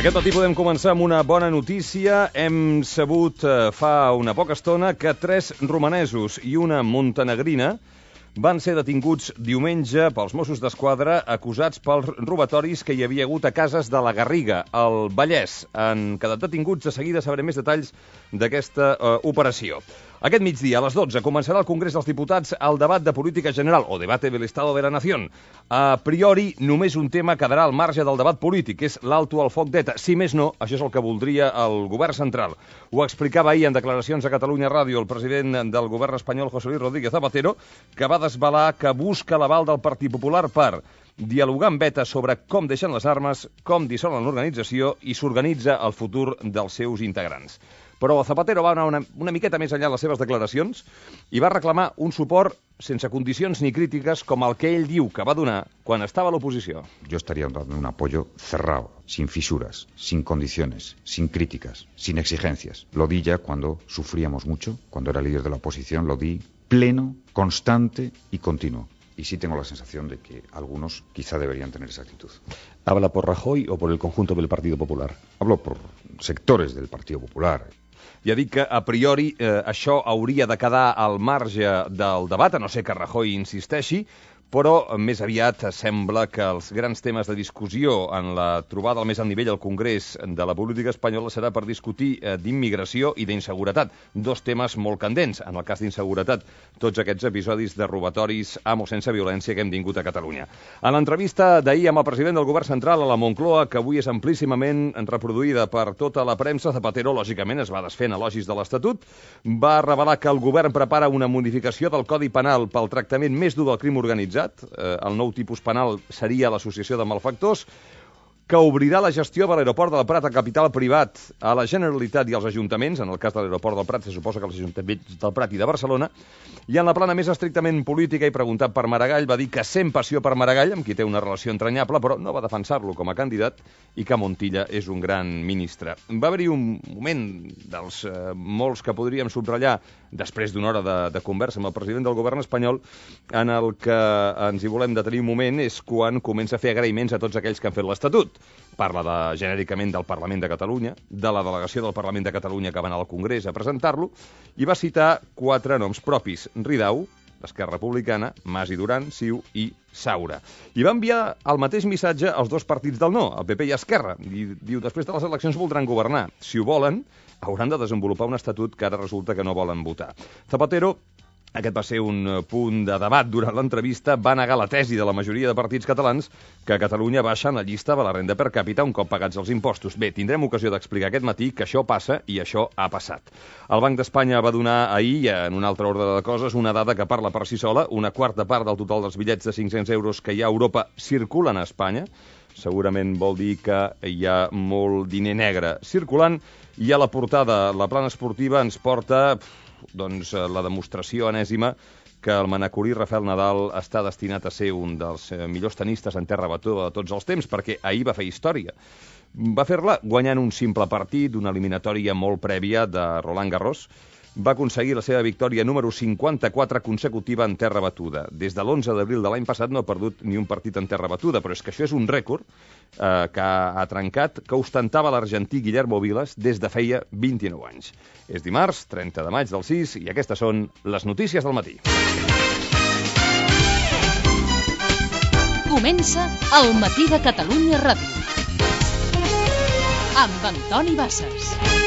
Aquest matí podem començar amb una bona notícia. Hem sabut fa una poca estona que 3 romanesos i una montenegrina van ser detinguts diumenge pels Mossos d'Esquadra acusats pels robatoris que hi havia hagut a cases de la Garriga, al Vallès. Han quedat detinguts. De seguida sabrem més detalls d'aquesta operació. Aquest migdia, a les 12, començarà al Congrés dels Diputats el debat de política general, o debate del Estado de la Nación. A priori, només un tema quedarà al marge del debat polític, que és l'alto al foc d'ETA. Si més no, això és el que voldria el govern central. Ho explicava ahir en declaracions a Catalunya Ràdio el president del govern espanyol, José Luis Rodríguez Zapatero, que va desvelar que busca l'aval del Partit Popular per dialogar amb ETA sobre com deixen les armes, com dissolen l'organització i s'organitza el futur dels seus integrants. Però Zapatero va anar una miqueta més enllà en les seves declaracions i va reclamar un suport sense condicions ni crítiques com el que ell diu que va donar quan estava a l'oposició. Yo estaría dando un apoyo cerrado, sin fisuras, sin condiciones, sin críticas, sin exigencias. Lo di ya cuando sufríamos mucho, cuando era líder de la oposición, lo di pleno, constante y continuo. Y sí tengo la sensación de que algunos quizá deberían tener esa actitud. ¿Habla por Rajoy o por el conjunto del Partido Popular? Hablo por sectores del Partido Popular. Ja dic que, a priori, això hauria de quedar al marge del debat, a no ser que Rajoy insisteixi, però més aviat sembla que els grans temes de discussió en la trobada al més alt nivell al Congrés de la política espanyola serà per discutir d'immigració i d'inseguretat, 2 temes molt candents. En el cas d'inseguretat, tots aquests episodis de robatoris amb o sense violència que hem tingut a Catalunya. En l'entrevista d'ahir amb el president del govern central a la Moncloa, que avui és amplíssimament reproduïda per tota la premsa, Zapatero, lògicament, es va desfent elogis de l'Estatut, va revelar que el govern prepara una modificació del Codi Penal pel tractament més dur del crim organitzat. El nou tipus penal seria l'associació de malfactors, que obrirà la gestió de l'aeroport del Prat a capital privat a la Generalitat i als ajuntaments. En el cas de l'aeroport del Prat se suposa que els ajuntaments del Prat i de Barcelona. I en la plana més estrictament política, i preguntat per Maragall, va dir que sent passió per Maragall, amb qui té una relació entranyable, però no va defensar-lo com a candidat, i que Montilla és un gran ministre. Va haver-hi un moment dels molts que podríem subratllar després d'una hora de conversa amb el president del govern espanyol, en el que ens hi volem detenir un moment, és quan comença a fer agraïments a tots aquells que han fet l'Estatut. Parla genèricament del Parlament de Catalunya, de la delegació del Parlament de Catalunya que va anar al Congrés a presentar-lo, i va citar 4 noms propis: Ridao, d'Esquerra Republicana, Mas i Duran, Ciu i Saura. I va enviar el mateix missatge als 2 partits del no, el PP i Esquerra. I diu, després de les eleccions voldran governar. Si ho volen, hauran de desenvolupar un estatut que ara resulta que no volen votar. Zapatero, aquest va ser un punt de debat durant l'entrevista, va negar la tesi de la majoria de partits catalans que Catalunya baixa en la llista de la renda per càpita un cop pagats els impostos. Bé, tindrem ocasió d'explicar aquest matí que això passa i això ha passat. El Banc d'Espanya va donar ahir, en un altre ordre de coses, una dada que parla per si sola: una quarta part del total dels bitllets de 500 euros que hi ha a Europa circulen a Espanya. Segurament vol dir que hi ha molt diner negre circulant. I a la portada, la plana esportiva ens porta la demostració enèsima que el manacorí Rafael Nadal està destinat a ser un dels millors tenistes en terra batuda de tots els temps, perquè ahir va fer història. Va fer-la guanyant un simple partit, una eliminatòria molt prèvia de Roland Garros. Va aconseguir la seva victòria número 54 consecutiva en terra batuda. Des de l'11 d'abril de l'any passat no ha perdut ni un partit en terra batuda, però és que això és un rècord que ha trencat, que ostentava l'argentí Guillermo Vilas des de feia 29 anys. És dimarts, 30 de maig del 6, i aquestes són les notícies del matí. Comença el Matí de Catalunya Ràdio amb Antoni Bassas.